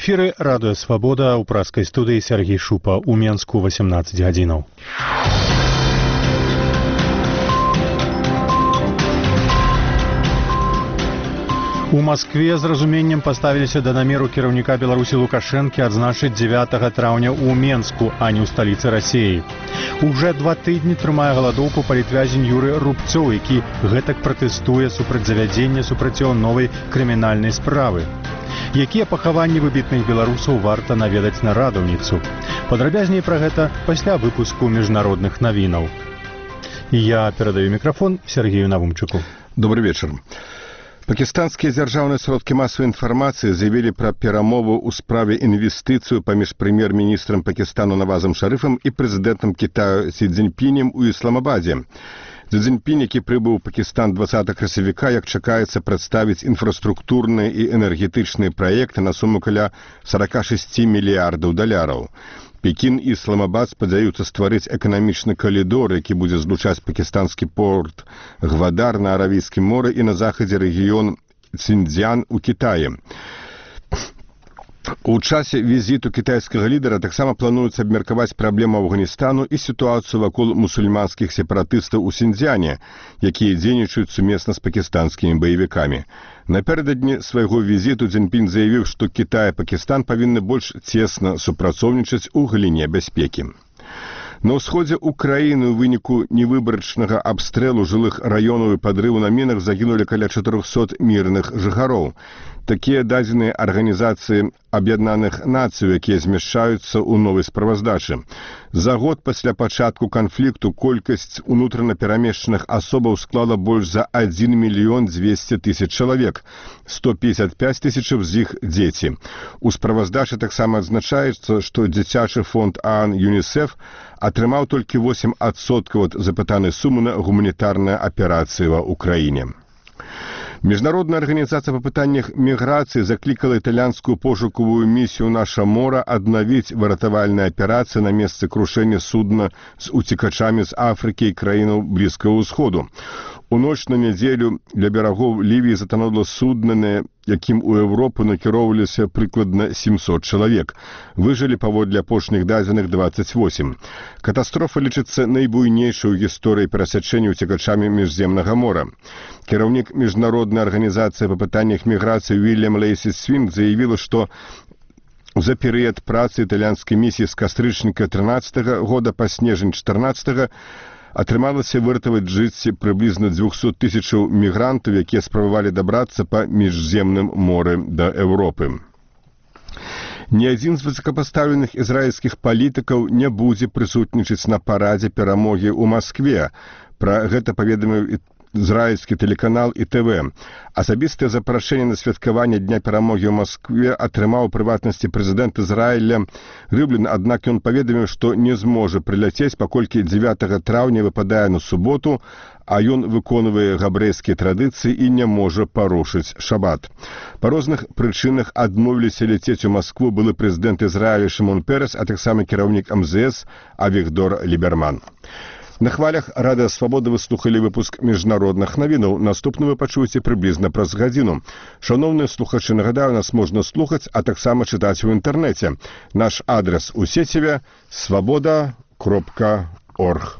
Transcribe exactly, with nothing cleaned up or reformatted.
эфіры радыё Свабода, у праскай студыі Сергей Шупа, у Менску восемнадцать гадзінаў. У Маскве з разуменнем паставіліся да намеру кіраўніка Беларусі Лукашэнкі адзначыць дзевятага траўня ў Менску, а не ў сталіцы Расіі. Уже два тыдні трымае галадоўку палітвязень Юры Рубцоў, які гэтак пратэстуе супраць завядзення супрацьёў новай крымінальнай справы. Якія пахаванні выбітных беларусаў варта наведаць на радаўніцу? Падрабязней пра гэта пасля выпуску міжнародных навінаў. Я перадаю мікрафон Сергею Навумчуку. Добрый вечер. Пакистанскія дзяржаўныя сродкі масавай інфармацыі заявілі пра перамову ў справе інвестыцыю паміж прэм'ер-міністрам Пакістану Навазам Шарыфам і прэзідэнтам Кітаю Сі Цзіньпінем у Ісламабадзе. Сі Цзіньпінь, які прыбыў у Пакістан дваццатага красавіка, як чакаецца прадставіць інфраструктурныя і энергетычныя праекты на суму каля сорок шесть мільярдаў даляраў. Пекін і Ісламабад спадзяюцца стварыць эканамічны калідор, які будзе злучаць пакістанскі порт Гвадар на Аравійскім моры і на захадзе рэгіён Цзіньцзян у Кітаі. У часе візіту кітайскага лідара таксама плануецца абмеркаваць праблему Афганістану і сітуацыю вакол мусульманскіх сепаратыстаў у Сіньцзяне, якія дзейнічаюць сумесна з пакістанскімі баевікамі. Напярэдадні свайго візіту Цзіньпінь заявіў, што Кітай і Пакістан павінны больш цесна супрацоўнічаць у галіне бяспекі. На ўсходзе ўкраіны ў выніку невыбарачнага абстрэлу жылых раёнаў і падрыву на мінах загінулі каля чатырохсот мірных жыхароў. Такія дадзеныя Арганізацыі Аб'яднаных Нацый, якія змяшчаюцца ў новай справаздачы. За год пасля пачатку канфлікту колькасць унутрана перамешчаных асобаў склала больш за адзін мільён дзвесце тысяч чалавек, сто пятьдесят пять тысяч з іх дзеці. У справаздачы таксама адзначаецца, што дзіцячы фонд ААН ЮНІСЕФ атрымаў толькі восемь адсоткаў ад запытанай сумы на гуманітарныя аперацыі ва ўкраіне. Міжнародная арганізацыя па пытаннях міграцыі заклікала італьянскую пошукавую місію «Наша мора» аднавіць выратавальныя аперацыі на месцы крушэння судна з уцекачамі з Афрыкі і краінаў Блізкага ўсходу. У ноч на нядзелю ля берагоў Лівіі затанула судна, на якім у Еўропу накіроўваліся прыкладна семьсот чалавек. Выжылі паводле апошніх дадзеных двадцать восемь. Катастрофа лічыцца найбуйнейшай у гісторыі перасячэння уцекачамі міжземнага мора. Кіраўнік міжнароднай арганізацыі па пытаннях міграцыі Уільям Лейсі Свінг заявіла, што за перыяд працы італьянскай місіі з кастрычніка трынаццатага года па снежань чатырнаццатага атрымалася выратаваць жыцці прыблізна дзвюсот тысячаў мігрантаў, якія спрабавалі дабрацца па міжземным моры да Еўропы. Ні адзін з высокапастаўленых ізраільскіх палітыкаў не будзе прысутнічаць на парадзе перамогі ў Маскве. Пра гэта паведаміў ізраільскі тэлеканал І Тэ Вэ. Асабістае запрашэнне на святкаванне Дня перамогі ў Маскве атрымаў у прыватнасці прэзідэнт Ізраіля Рыблін, аднак ён паведаміў, што не зможа прыляцець, паколькі дзевятага траўня выпадае на суботу, а ён выконвае габрэйскія традыцыі і не можа парушыць шабат. Па розных прычынах адмовіліся ляцець у Маскву былы прэзідэнт Ізраіля Шымон Перес, а таксама кіраўнік эм зэ эс Авігдор Ліберман. На хвалях Радыё Свабода вы слухалі выпуск міжнародных навінаў. Наступны вы пачуеце прыблізна праз гадзіну. Шаноўныя слухачы, нагадаю, нас можна слухаць, а таксама чытаць у інтэрнэце. Наш адрес у сеціве свабода кропка орг.